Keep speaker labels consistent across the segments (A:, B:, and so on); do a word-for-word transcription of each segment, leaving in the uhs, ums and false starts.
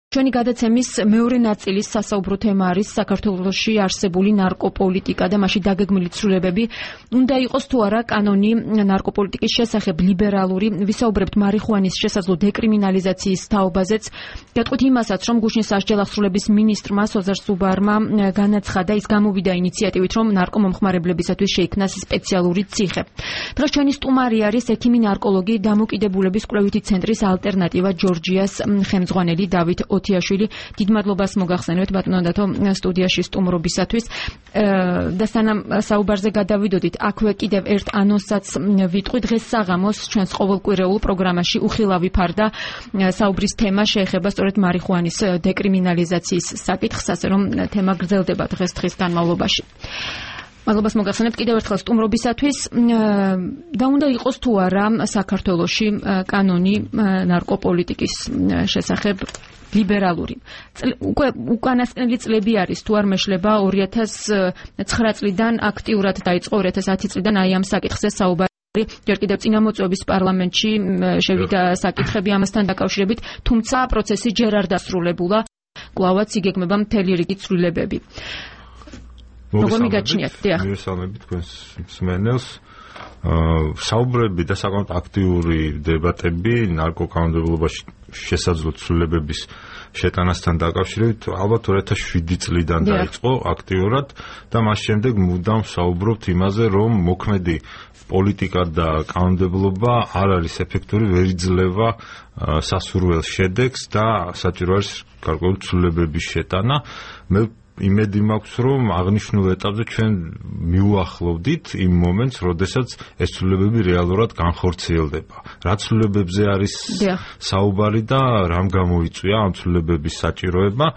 A: ჩვენი გადაცემის მეორე ნაწილის სასაუბრო თემა არის საქართველოში არსებული ნარკოპოლიტიკა და მასში დაგეგმილი ცვლილებები. უნდა იყოს თუ არა კანონი ნარკოპოლიტიკის შესახებ ლიბერალური. ვისაუბრებთ მარიხუანის შესაძლო დეკრიმინალიზაციის თაობაზეც. გეტყვით იმასაც, რომ გუშინ სასჯელახსრულების მინისტრმა სოზარ სუბარმა განაცხადა, ის გამოვიდა ინიციატივით, რომ ნარკომომხმარებლებისათვის შეიქმნას სპეციალური ციხე. დღეს ჩვენი სტუმარი არის ექიმი ნარკოლოგი დამოკიდებულების კვლევითი ცენტრის ალტერნატივა ჯორჯიას ხელმძღვანელი დავით ოთიაშვილი. დიდ მადლობას მოგახსენებთ ბატონო სტუდიაში სტუმრობისათვის. და სანამ საუბარზე გადავიდოდით, აქვე კიდევ ერთ ანონსაც ვიტყვი. დღეს საღამოს ჩვენს ყოველკვირეულ პროგრამაში უხილავი ფარდა საუბრის თემა შეეხება სწორედ მარიხუანის დეკრიმინალიზაციის საკითხს, ასე რომ თემა გრძელდება დღეს დღის განმავლობაში. მადლობას მოგახსენებთ კიდევ ერთხელ სტუმრობისათვის. და უნდა იყოს თუ არა საქართველოში კანონი ნარკოპოლიტიკის შესახებ ლიბერალური. უკვე უკანასკნელი წლები არის თუ არ მეშლება ორი ათას ცხრა წლიდან აქტიურად დაიწყო ორი ათას ათი წლიდან აი ამ საკითხზე საუბარი. ჯერ კიდევ წინამოწვევის პარლამენტში შევიდა საკითხები ამასთან დაკავშირებით, თუმცა პროცესი ჯერ არ დასრულებულა. კვლავაც იგეგმება მთელი რიგი ცვლილებები. როგორ მიგაჩნიათ? დიახ.
B: მივესალმები თქვენს მსმენელს. საუბრები და საკმაოდ აქტიური დებატები ნარკოკანონმდებლობაში შესაძლო ცვლილებების შეტანასთან დაკავშირებით ალბათ ორი ათას შვიდი წლიდან დაიწყო აქტიურად და მას შემდეგ მუდამ საუბრობთ იმაზე, რომ მოქმედი პოლიტიკა და კანონმდებლობა არ არის ეფექტური, ვერ იძლევა სასურველ შედეგს და საჭირო არის გარკვეული ცვლილებების შეტანა. მე იმედი მაქვს, რომ აღნიშნულ ეტაპზე ჩვენ მიუახლოვდით იმ მომენტს, როდესაც ეს ცვლილებები რეალურად განხორციელდება. რა ცვლილებებზე არის საუბარი და რამ გამოიწვია ამ ცვლილებების საჭიროება?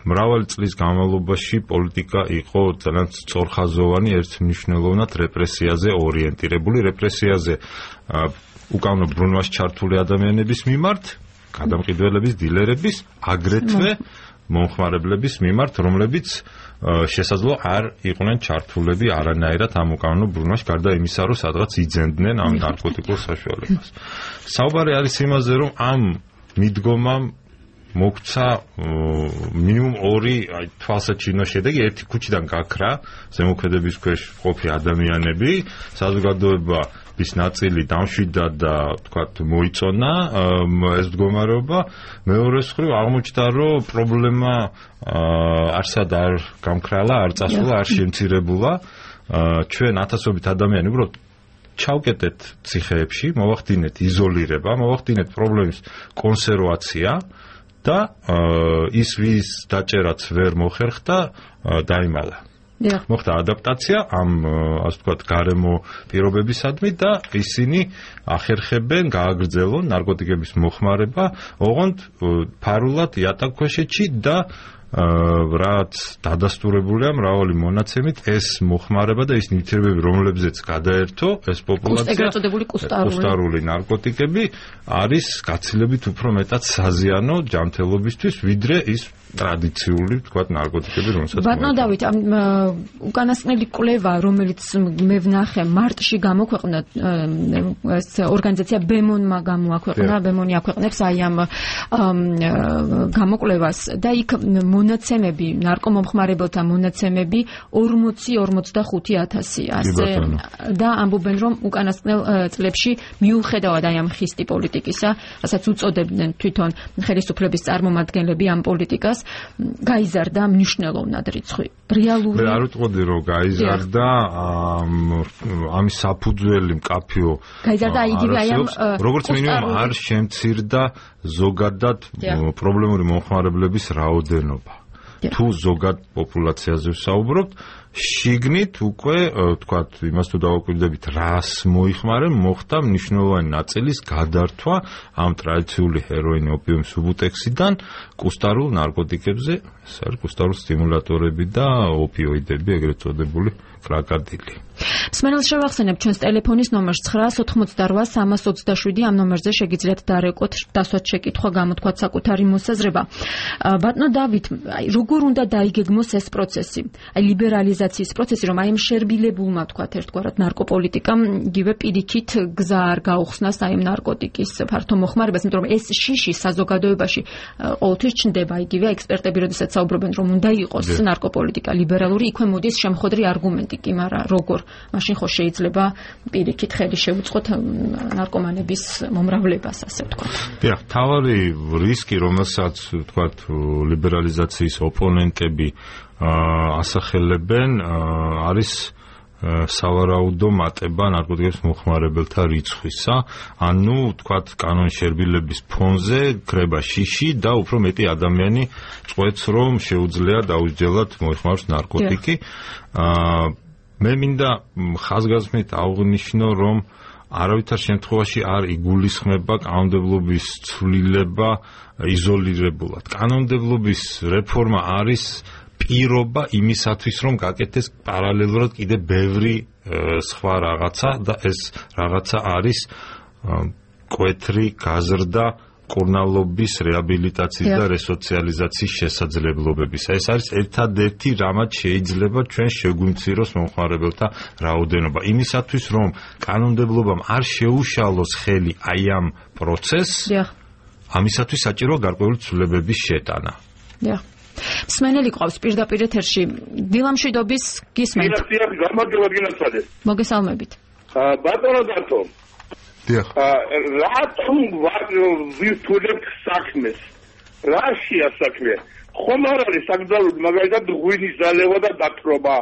B: მრავალი წლის განმავლობაში პოლიტიკა იყო ძალიან სწორხაზოვანი, ერთმნიშვნელოვნად რეპრესიაზე ორიენტირებული, რეპრესიაზე უკანონო ბრუნვაში ჩართული ადამიანების მიმართ, გადამყიდველების, დილერების, აგრეთვე მომხმარებლების მიმართ, რომლებიც შესაძლო არ იყვნენ ჩართულები არანაირად ამ უკანონო ბრუნვაში, გარდა იმისა, რომ სადღაც იძენდნენ ამ ნარკოტიკულ საშუალებას. საუბარი არის იმაზე, რომ ამ მიდგომამ მოგცა მინიმუმ ორი თვალსაჩინო შედეგი. ერთი ქუჩიდან გაქრა ზემოქმედების ქვეშ მყოფი ადამიანები, საზოგადოება ის ნაწილი დამშვიდა და თქვათ მოიწონა ეს მდგომარეობა. მეორე მხრივ აღმოჩნდა, რომ პრობლემა არსად არ გამქრალა, არ წასულა, არ შემცირებულა. ჩვენ ათასობით ადამიანი უბრალოდ ჩავკეტეთ ციხეებში, მოვახდინეთ იზოლირება, მოვახდინეთ პრობლემის კონსერვაცია და ის ვის დაჭერაც ვერ მოხერხდა, დაიმალა. მოხდა ადაპტაცია ამ ასე ვთქვათ გარემო პირობებისადმი და ისინი ახერხებენ გააგრძელონ ნარკოტიკების მოხმარება, ოღონდ ფარულად იატაკქვეშეთში და რაც დადასტურებულია მრავალი მონაცემით, ეს მოხმარება და ის ნივთიერებები, რომლებზეც გადაერთო ეს პოპულაცია, კუსტარული ნარკოტიკები არის გაცილებით უფრო მეტად საზიანო ჯანმრთელობისთვის, ვიდრე ის ტრადიციული, თქვათ, ნარკოტიკები, რომელსაც
A: ბატონო დავით, უკანასკნელი კვლევა, რომელიც მე ვნახე მარტში გამოქვეყნდა, ეს ორგანიზაცია ბემონმა გამოაქვეყნა, ბემონი აქვეყნებს აი ამ გამოკვლევას და იქ მონაცემები, ნარკომომხმარებელთა მონაცემები ორმოცი ორმოცდახუთი ათასი ასე და ამბობენ, რომ უკანასკნელ წლებში მიუხედავად აი ამ ხისტი პოლიტიკისა, რასაც უწოდებდნენ თვითონ ხელისუფლების წარმომადგენლები ამ პოლიტიკას, გაიზარდა მნიშვნელოვნად რიცხვი. რეალური
B: მე არ ვიტყოდი, რომ გაიზარდა ამის საფუძველი მკაფიო
A: გაიზარდა იგივე აი ამ
B: როგორც მინიმუმ არ შემცირდა ზოგადად პრობლემური მომხმარებლების რაოდენობა. თუ ზოგად პოპულაციაზე ვსაუბრობთ, შიგნით უკვე თქვათ იმას თუ დავაკვირდებით, რას მოიხმარენ, მოხდა მნიშვნელოვანი ნაწილის გადართვა ამ ტრადიციული ჰეროინი, ოპიუმის უბუტექსიდან კუსტარულ ნარკოტიკებზე, ეს არის კუსტარულ სტიმულატორები და ოპიოიდები, ეგრეთ წოდებული კრაკადილი.
A: მსმენელს შევახსენებ ჩვენს ტელეფონის ნომერს ცხრა ოცდაოთხი სამას ოცდაშვიდი, ამ ნომერზე შეგიძლიათ დარეკოთ, დასვათ შეკითხვა, გამოთქვათ საკუთარი მოსაზრება. ბატონო დავით, როგორ უნდა დაიგეგმოს ეს პროცესი? აი ლიბერალიზაცია ლიბერალიზაციის პროცესი, რომ აი ამ შერბილებულმა თქვათ ერთგვარად ნარკოპოლიტიკამ იგივე პირიქით გზა არ გაუხსნას აი ამ ნარკოტიკის ფართო მოხმარებას, იმიტომ რომ ეს შიში საზოგადოებაში ყოველთვის ჩნდება, იგივე ექსპერტები როდესაც საუბრობენ, რომ უნდა იყოს ნარკოპოლიტიკა ლიბერალური, იქვე მოდის შემხვედრი არგუმენტი კი, მაგრამ როგორ მაშინ ხო შეიძლება პირიქით ხელი შეუწყოთ ნარკომანების მომრავლებას, ასე ვთქვათ.
B: დიახ, თავარი რისკი, რომელსაც ვთქვათ ლიბერალიზაციის ოპონენტები ასახელებენ, არის სავარაუდო მატება ნარკოტიკების მოხმარებელთა რიცხვისა, ანუ ვთქვათ კანონშერბილების ფონზე ქრება შიში და უფრო მეტი ადამიანი წყვეტს, რომ შეუძლია დაუსჯელად მოიხმაროს ნარკოტიკი. მე მინდა ხაზგასმით აღვნიშნო, რომ არავითარ შემთხვევაში არ იგულისხმება კანონმდებლობის ცვლილება იზოლირებულად. კანონმდებლობის რეფორმა არის პირობა იმისათვის, რომ გაკეთდეს პარალელურად კიდე ბევრი სხვა რაღაცა და ეს რაღაცა არის კვეთრი გაზრდა კურნალობის რეაბილიტაციის და რესოციალიზაციის შესაძლებლობების. ეს არის ერთადერთი, რამაც შეიძლება ჩვენ შეგვიმციროს მომხმარებელთა რაოდენობა. იმისათვის, რომ კანონმდებლობამ არ შეუშალოს ხელი აი ამ პროცესს, ამისათვის საჭიროა გარკვეული ცვლილებების შეტანა.
A: დიახ. მსმენელი ყავს პირდაპირ ეთერში. დილამშვიდობის გისმენთ. მოგესალმებით.
C: ბატონო დათო.
B: დიახ.
C: რატომ ვირთულებ საქმეს? რაშია საქმე? ხომ არ არის საკრძალოდ მაგალითად ღვინის დალევა და დათრობა,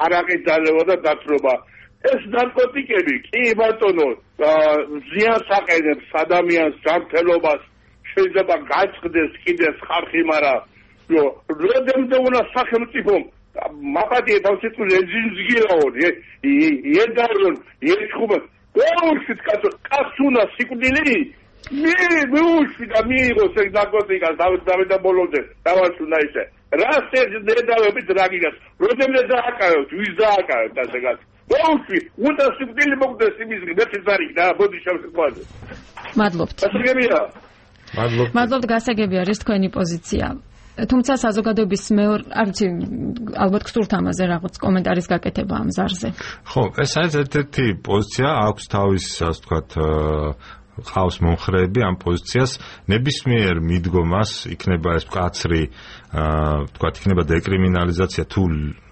C: არაყის დალევა და დათრობა. ეს ნარკოტიკები კი ბატონო ზიანს აყენებს ადამიანს ჯანმრთელობას, შეიძლება გაწყდეს კიდეს ხარხი, მაგრამ როდემდე უნდა სახელმწიფომ მაპატიე თავსიტყვი ეძინზგირაონ ედარონ ერთხუბა ოუშვით კაცო კაცუნა სიკვდილი მე მეუშვი და მიიღოს ეგ ნარკოტიკას დავით და ბოლომდე დავასუნა ისე რას ეს დედავებით რაგიგას როდემდე დააკავებთ ვის დააკავებთ ასე კაც ოუშვი უნდა სიკვდილი მოგდეს იმის მეცი ზარი და ბოდი შევსკვაზე
A: მადლობთ
C: გასაგებია
B: მადლობთ
A: მადლობთ გასაგებია არის თქვენი პოზიცია. თუმცა საზოგადოების მეორე არ ვიცი ალბათ გსურთ ამაზე რაღაც კომენტარის გაკეთება ამ ზარზე.
B: ხო, ეს არის ერთ-ერთი პოზიცია, აქვს თავის ასე ვთქვათ ყავს მომხრეები ამ პოზიციას, ნებისმიერ მიდგომას იქნება ეს მკაცრი ვთქვათ იქნება დეკრიმინალიზაცია თუ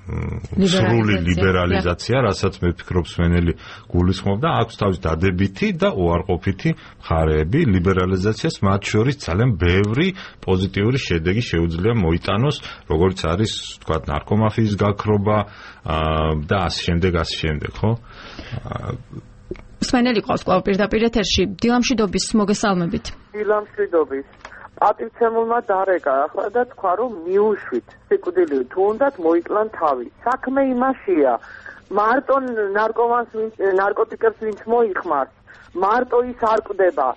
B: სრული ლიბერალიზაცია, რასაც მე ვფიქრობ სვენელი გულისხმობდა, აქვს თავის დადებითი და უარყოფითი მხარეები. ლიბერალიზაციას მათ შორის ძალიან ბევრი პოზიტიური შედეგი შეუძლია მოიტანოს, როგორც არის, ვთქვათ, ნარკომაფიის გაქრობა და ასე შემდეგ, ასე შემდეგ, ხო?
A: სვენელი ყავს კვლავ პირდაპირ ეთერში. დილამშვიდობის მოგესალმებით.
D: დილამშვიდობის. პატივცემულმა დარეკა ახლა და თქვა, რომ მიუშვით სიკვდილი თუ უნდათ მოიკლან თავი. საქმე იმაშია, მარტო ნარკომანს ნარკოტიკებს ვინც მოიხმარს, მარტო ის არ კვდება,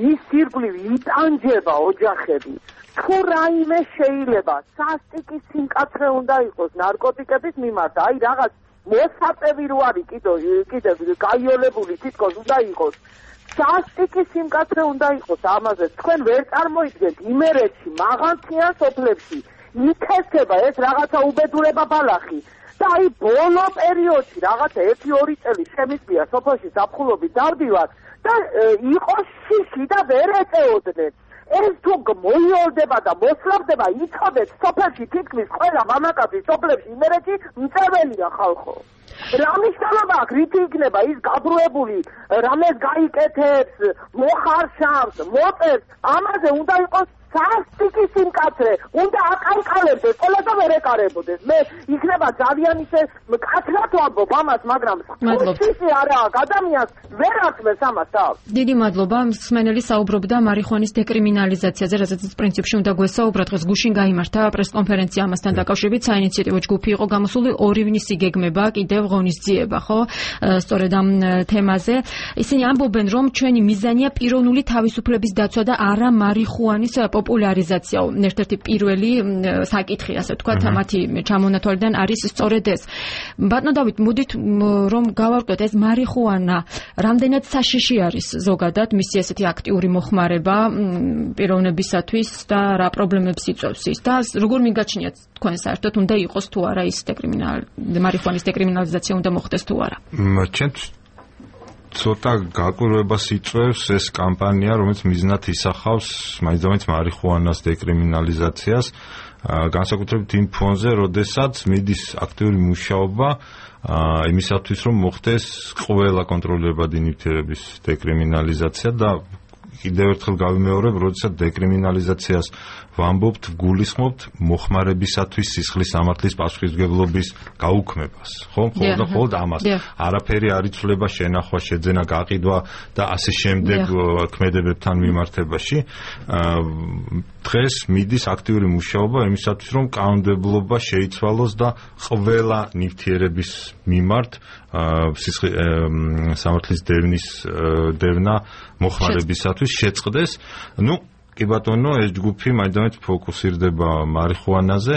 D: ის ირგვლივ იტანჯება ოჯახები. თუ რაიმე შეიძლება სასტიკის სიმკაცრე უნდა იყოს ნარკოტიკების მიმართ, აი რაღაც მოსაწევი რო არის კიდე კიდე გაიოლებული თითქოს უნდა იყოს. სასტიკის სიმკაცრე უნდა იყოს ამაზე. თქვენ ვერ წარმოიდგენთ იმერეთში, მაღალმთიან სოფლებში ითესება ეს რაღაცა უბედურება ბალახი. და აი ბოლო პერიოდში რაღაცა ერთი ორი წელი შემიძლია სოფელში ზაფხულობით დავდივარ და იყოს შიში და ვერ ეწეოდნენ. ეს თუ მოიოლდება და მოსლაბდება, იცოდეთ სოფელში თითქმის ყველა მამაკაცი სოფლებში იმერეთში მწერველია ხალხო. რა მნიშვნელობა აქვს, რითი იქნება ის გაბრუებული, რამეს გაიკეთებს, მოხარშავს, მოწერს, ამაზე უნდა იყოს სასტიკის სიმკაცრე, უნდა აკარკალებდეს, ყველა და ვერ ეკარებოდეს. მე იქნება ძალიან ისე მკაცრად ვამბობ ამას, მაგრამ ხუთი არაა, ადამიანს ვერ აწმეს ამას თავს.
A: დიდი მადლობა. მსმენელი საუბრობდა მარიხუანის დეკრიმინალიზაციაზე, რასაც პრინციპში უნდა გვესაუბროთ. დღეს გუშინ გაიმართა პრესკონფერენცია ამასთან დაკავშირებით, საინიციატივო ჯგუფი იყო გამოსული, ორი ივნის იგეგმება კიდევ ღონისძიება, ხო? სწორედ ამ თემაზე. ისინი ამბობენ, რომ ჩვენი მიზანია პიროვნული თავისუფლების დაცვა და არა მარიხუანის პოპულარიზაციაო ერთ-ერთი პირველი საკითხი, ასე ვთქვათ, მათი ჩამონათვალიდან არის სწორედ ეს. ბატონო დავით, მოდით რომ გავარკვიოთ ეს მარიხუანა რამდენად საშიში არის ზოგადად მისი ესეთი აქტიური მოხმარება პიროვნებისათვის და რა პრობლემებს იწვევს ის და როგორ მიგაჩნიათ თქვენ საერთოდ უნდა იყოს თუ არა ის დეკრიმინალ მარიხუანის დეკრიმინალიზაცია უნდა მოხდეს თუ არა?
B: ჩემთვის ცოტა გაკვირვებას იწვევს ეს კამპანია, რომელიც მიზნად ისახავს მაინც მარიხუანას დეკრიმინალიზაციას, განსაკუთრებით იმ ფონზე, როდესაც მიდის აქტიური მუშაობა იმისათვის, რომ მოხდეს ყველა კონტროლირებადი ნივთიერების დეკრიმინალიზაცია და კიდევ ერთხელ გავიმეორებ, როდესაც დეკრიმინალიზაციას ვამბობთ, გულისხმობთ მოხმარებისათვის სისხლის სამართლის პასუხისმგებლობის გაუქმებას. ხო, მხოლოდ და მხოლოდ ამას. არაფერი არ იცვლება შენახვა, შეძენა, გაყიდვა და ასე შემდეგ ქმედებებთან მიმართებაში. დღეს მიდის აქტიური მუშაობა იმისათვის, რომ კანონმდებლობა შეიცვალოს და ყველა ნივთიერების მიმართ სისხლის სამართლის დევნის დევნა მოხმარებისათვის შეწყდეს. ნუ კი ბატონო, ეს ჯგუფი მაინც ფოკუსირდება მარიხუანაზე,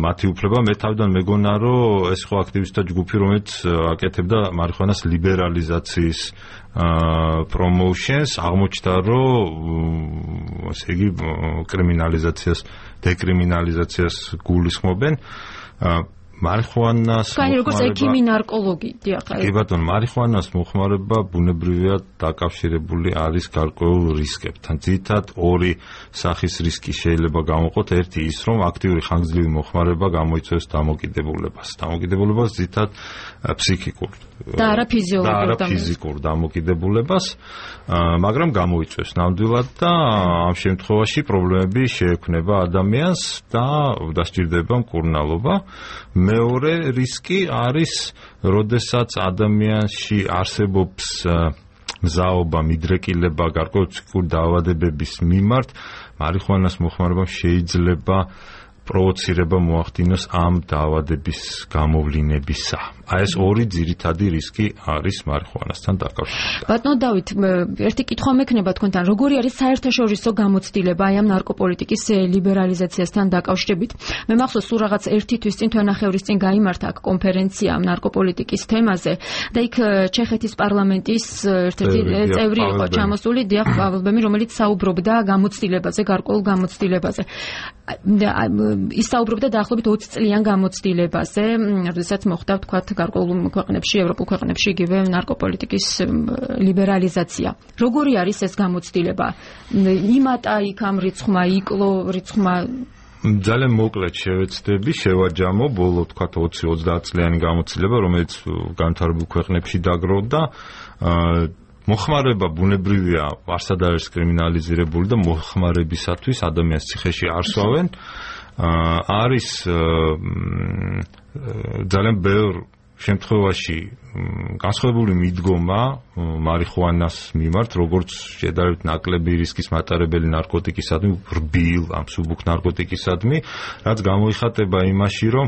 B: მათი უფლება. მე თავიდან მეგონა, რომ ეს ხო აქტივისტთა ჯგუფი, რომელიც აკეთებდა მარიხუანას ლიბერალიზაციის პრომოუშენს, აღმოჩნდა, რომ ესე იგი კრიმინალიზაციას, დეკრიმინალიზაციას გულისხმობენ. მარიხუანას
A: მოხმარება, როგორც ექიმი ნარკოლოგი, დიახ.
B: კი ბატონო, მარიხუანას მოხმარება ბუნებრივია დაკავშირებული არის გარკვეულ რისკებთან. ძირითადად ორი სახის რისკი შეიძლება გამოყოთ. ერთი ის, რომ აქტიური ხანგრძლივი მოხმარება გამოიწვევს დამოკიდებულებას. დამოკიდებულებას ძირითადად ფსიქიკურ
A: და არა ფიზიოლოგურ
B: და არა ფიზიკურ დამოკიდებულებას, მაგრამ გამოიწვევს ნამდვილად და ამ შემთხვევაში პრობლემები შეექმნება ადამიანს და დასჭირდება მკურნალობა. მეორე რისკი არის, როდესაც ადამიანში არსებობს მზაობა, მიდრეკილება გარკვეული ფსიქიკური დაავადებების მიმართ, მარიხუანას მოხმარებამ შეიძლება პროვოცირება მოახდინოს ამ დაავადების გამოვლინებისა. აი ეს ორი ძირითადი რისკი არის მარიხუანასთან დაკავშირებით.
A: ბატონო დავით, ერთი კითხვა მექნება თქვენთან, როგორი არის საერთაშორისო გამოცდილება აი ამ ნარკოპოლიტიკის ლიბერალიზაციასთან დაკავშირებით? მე მახსოვს, სულ რაღაც ერთი თვის წინ, თვენახევრის წინ გაიმართა აქ კონფერენცია ამ ნარკოპოლიტიკის თემაზე და იქ ჩეხეთის პარლამენტის ერთ-ერთი წევრი იყო ჩამოსული, დიახ, პაველბემი, რომელიც საუბრობდა გამოცდილებაზე, გარკვეულ გამოცდილებაზე. ის საუბრობდა დაახლოებით ოცი წლიან გამოცდილებაზე, როდესაც მოხდა ვთქვათ გარკვეულ ქვეყნებში, ევროპულ ქვეყნებში იგივე ნარკოპოლიტიკის ლიბერალიზაცია. როგორი არის ეს გამოცდილება? იმატა იქ ამ რიცხვმა, იკლო რიცხვმა?
B: ძალიან მოკლედ შევეცდები, შევაჯამო ბოლო ვთქვათ ოცი ოცდაათ წლიანი გამოცდილება, რომელიც განვითარებულ ქვეყნებში დაგროვდა. მოხმარება ბუნებრივია, არსად არის კრიმინალიზირებული და მოხმარებისათვის ადამიანს ციხეში არ სვავენ. არის ძალიან ბევრ შემთხვევაში განსხვავებული მიდგომა მარიხუანას მიმართ, როგორც შედარებით ნაკლები რისკის მატარებელი ნარკოტიკისადმი, რბილ ამ მსუბუქ ნარკოტიკისადმი, რაც გამოიხატება იმაში, რომ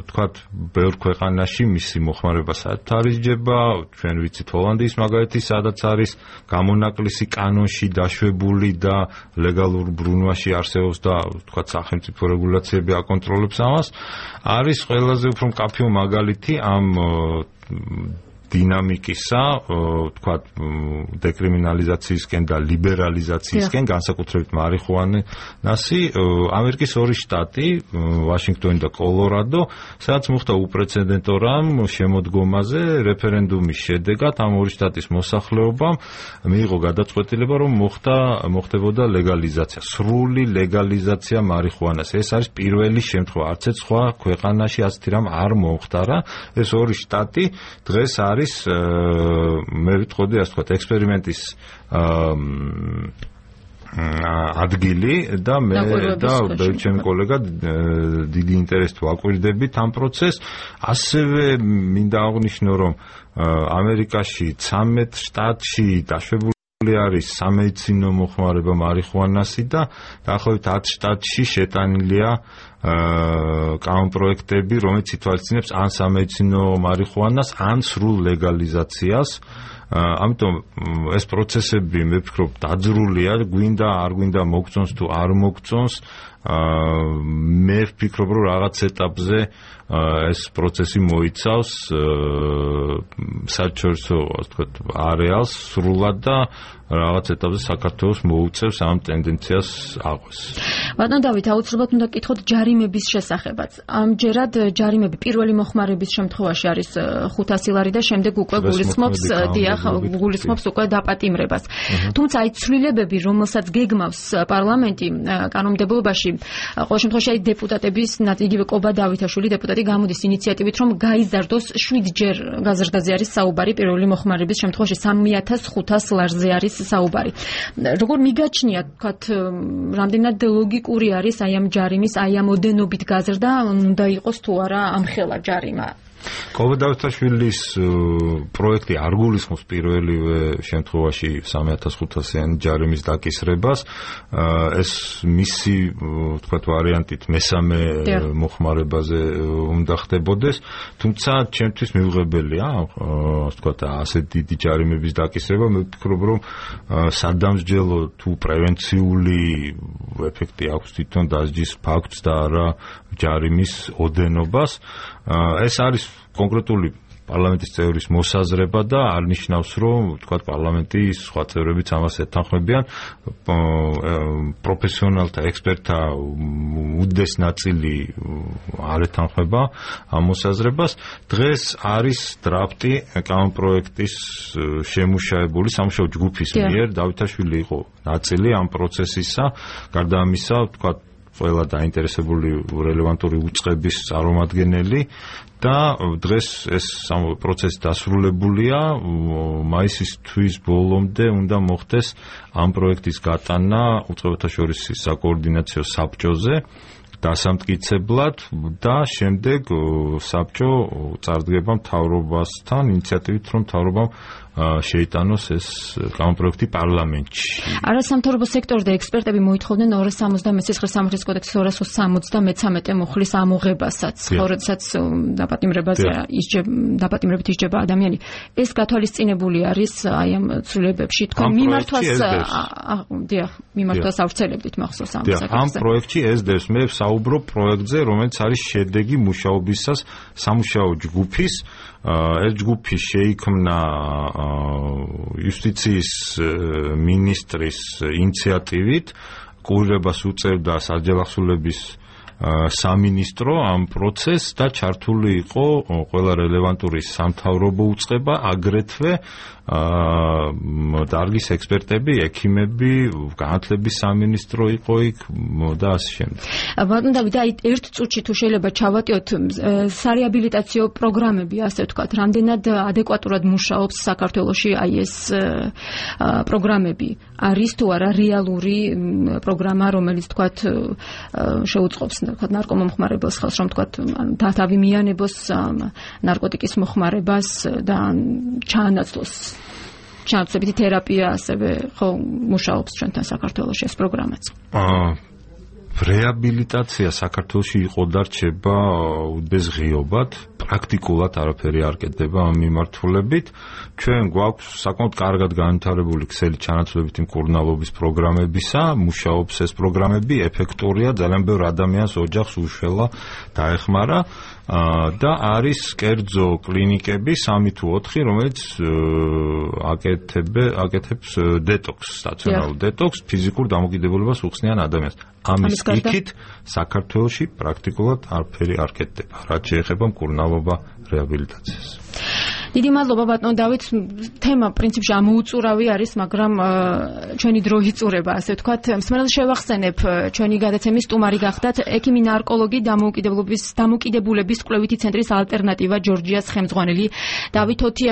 B: თქვათ ბევრ ქვეყანაში მისი მოხმარება საერთოდ არ ისჯება. ჩვენ ვიცით ჰოლანდიის მაგალითი, სადაც არის გამონაკლისი კანონში დაშვებული და ლეგალურ ბრუნვაში არსებობს და თქვათ სახელმწიფო რეგულაციები აკონტროლებს ამას. არის ყველაზე უფრო მკაფიო მაგალითი ამ დინამიკისა, თქვათ დეკრიმინალიზაციისკენ და ლიბერალიზაციისკენ, განსაკუთრებით მარიხუანასი, ამერიკის ორი შტატი, ვაშინგტონი და კოლორადო, სადაც მოხდა უპრეცედენტო რამ შემოდგომაზე რეფერენდუმის შედეგად ამ ორი შტატის მოსახლეობამ მიიღო გადაწყვეტილება, რომ მოხდა მოხდებოდა ლეგალიზაცია, სრული ლეგალიზაცია მარიხუანას. ეს არის პირველი შემთხვევა, არც ერთ სხვა ქვეყანაში ასეთი რამ არ მომხდარა. ეს ორი შტატი დღეს არის მე ვიტყოდი ასე ვთქვათ ექსპერიმენტის ადგილი და მე და ჩემი კოლეგა დიდი ინტერესით ვაკვირდებით ამ პროცესს. ასევე მინდა აღვნიშნო, რომ ამერიკაში ცამეტ შტატში დაშვებული არის სამედიცინო მოხმარება მარიხუანასი და დაახლოებით ათ შტატში შეტანილია კანონპროექტები, რომელიც ითვალისწინებს ან სამედიცინო მარიხუანას, ან სრულ ლეგალიზაციას. ამიტომ ეს პროცესები მე ვფიქრობ დაძრულია, გვინდა არ გვინდა მოგწონს თუ არ მოგწონს, მე ვფიქრობ რომ რაღაც ეტაპზე ეს პროცესი მოიცავს საერთაშორისო ასე ვთქვათ არეალს სრულად და რაღაც ეტაპზე საქართველოს მოუწევს ამ ტენდენციას აღვეს.
A: ბატონ დავით, აუცილებლად უნდა გკითხოთ ჯარიმების შესახებაც. ამჯერად ჯარიმები პირველი მოხმარების შემთხვევაში არის ხუთასი ლარი და შემდეგ უკვე გულისხმობს დიახ, გულისხმობს უკვე დაპატიმრებას. თუმცა აი ცვლილებები, რომელსაც გეგმავს პარლამენტი კანონმდებლობაში, ყოველ შემთხვევაში აი დეპუტატების, იგივე კობა დავითაშვილი დეპუტატი გამოდის ინიციატივით, რომ გაიზარდოს შვიდჯერ გაზრდაზე არის საუბარი, პირველი მოხმარების შემთხვევაში სამი ათას ხუთას ლარზე არის საუბარი. როგორ მიგაჩნია, თქვათ, რამდენად ლოგიკური არის აი ამ ჯარიმის, აი ამ ოდენობით გაზრდა, უნდა იყოს თუ არა ამხელა ჯარიმა?
B: კობა დავითაშვილის პროექტი არ გულისხმობს პირველივე შემთხვევაში სამი ათას ხუთასიანი ჯარიმის დაკისრებას. ეს მისი, ვთქვათ, ვარიანტით მესამე მოხმარებაზე უნდა ხდებოდეს, თუმცა ჩემთვის მიუღებელია, ასე ვთქვათ, ასე დიდი ჯარიმების დაკისრება. მე ვფიქრობ, რომ სადამსჯელო თუ პრევენციული ეფექტი აქვს თვითონ დასჯის ფაქტს და არა ჯარიმის ოდენობას. ეს არის კონკრეტული პარლამენტის წევრის მოსაზრება და არ ნიშნავს, რომ თქვა პარლამენტის სხვა წევრებიც ამას ეთანხმებიან. პროფესიონალთა, ექსპერტთა უდიდეს ნაწილი არ ეთანხმება ამ მოსაზრებას. დღეს არის დრაფტი კანონპროექტის შემუშავებული სამუშაო ჯგუფის მიერ. დავითაშვილი იყო ნაწილი ამ პროცესისა. გარდა ამისა, თქვა ყველა დაინტერესებული რელევანტური უწყების წარმომადგენელი და დღეს ეს პროცესი დასრულებულია. მაისის თვის ბოლომდე უნდა მოხდეს ამ პროექტის გატანა უწყებათა შორის საკოორდინაციო საბჭოზე დასამტკიცებლად და შემდეგ საბჭო წარდგება მთავრობასთან ინიციატივით, რომ მთავრობამ შეიტანოს ეს კანონპროექტი პარლამენტში.
A: არასამთავრობო სექტორი და ექსპერტები მოითხოვდნენ ორას სამოცდამეტ ცხრა სამართლის კოდექსის ორას სამოცდამეცამეტე მუხლის ამოღებასაც, როდესაც დაპატიმრებაზე ისჯება, დაპატიმრებით ისჯება ადამიანი. ეს გათვალისწინებული არის აი ამ ცვლილებებში. თქვენ მიმართვას დიახ, მიმართვას ავრცელებდით მახსოვს ამ საკითხზე.
B: ამ პროექტში ესდევს, მე საუბრობ პროექტზე, რომელიც არის შედეგი მუშაობისას სამუშაო ჯგუფის. ეს ჯგუფი შეიქმნა იუსტიციის მინისტრის ინიციატივით, კურირებას უწევდა საჯავახსოვრების სამინისტრო ამ პროცესს და ჩართული იყო ყველა რელევანტური სამთავრობო უწყება, აგრეთვე დარგის ექსპერტები, ექიმები, განათლების სამინისტრო იყო იქ და ასე შემდეგ.
A: ბატონ დავით, აი ერთ წუთში თუ შეიძლება ჩავატიოთ სარეაბილიტაციო პროგრამები, ასე ვთქვათ, რამდენად ადეკვატურად მუშაობს საქართველოში აი ეს პროგრამები? არის თუ არა რეალური პროგრამა, რომელიც ვთქვათ შეუწყობს ვთქვათ ნარკომომხმარებელს ხელს, რომ ვთქვათ თავი მიანებოს ნარკოტიკის მოხმარებას და ჩაანაცვლოს ჩანაცვლებითი თერაპია, ასევე ხო მუშაობს ჩვენთან საქართველოში ეს პროგრამაც.
B: რეაბილიტაცია საქართველოში იყო და რჩება უდიდეს ღიობად, პრაქტიკულად არაფერი არ კეთდება ამ მიმართულებით. ჩვენ გვაქვს საკმაოდ კარგად განვითარებული ქსელი ჩანაცვლებითი მკურნალობის პროგრამებისა, მუშაობს ეს პროგრამები, ეფექტურია, ძალიან ბევრ ადამიანს ოჯახს უშველა დაეხმარა და არის კერძო კლინიკები სამი თუ ოთხი, რომელიც აკეთებს დეტოქს, სტაციონარულ დეტოქს, ფიზიკურ დამოკიდებულებას უხსნიან ადამიანს. ამის იქით საქართველოში პრაქტიკულად არაფერი არ კეთდება, რაც შეეხება მკურნალობა რეაბილიტაციას.
A: დიდი მადლობა ბატონ დავით, თემა პრინციპში ამოუწურავი არის, მაგრამ ჩვენი დრო იწურება, ასე ვთქვათ. მსმენელს შევახსენებ, ჩვენი გადაცემის სტუმარი გახდათ ექიმი ნარკოლოგი დამოუკიდებლობის დამოუკიდებულების კვლევითი ცენტრის ალტერნატივა ჯორჯიას ხელმძღვანელი დავით ოთია.